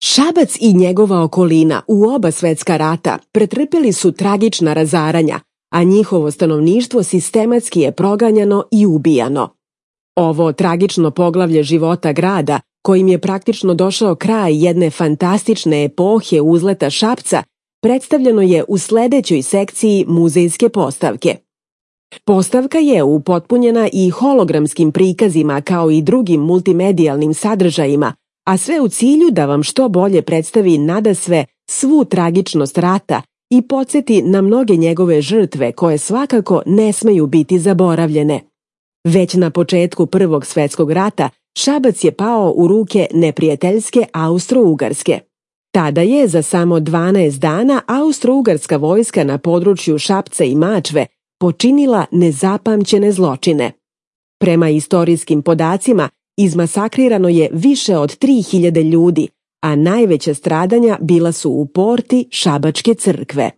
Šabac i njegova okolina u oba svetska rata pretrpeli su tragična razaranja, a njihovo stanovništvo sistematski je proganjano i ubijano. Ovo tragično poglavlje života grada, kojim je praktično došao kraj jedne fantastične epohe uzleta Šapca, predstavljeno je u sledećoj sekciji muzejske postavke. Postavka je upotpunjena i hologramskim prikazima kao i drugim multimedijalnim sadržajima, a sve u cilju da vam što bolje predstavi nadasve svu tragičnost rata i podsjeti na mnoge njegove žrtve koje svakako ne smeju biti zaboravljene. Već na početku Prvog svetskog rata Šabac je pao u ruke neprijateljske Austro-Ugarske. Tada je za samo 12 dana Austro-Ugarska vojska na području Šapca i Mačve počinila nezapamćene zločine. Prema istorijskim podacima, izmasakrirano je više od 3000 ljudi, a najveća stradanja bila su u porti Šabačke crkve.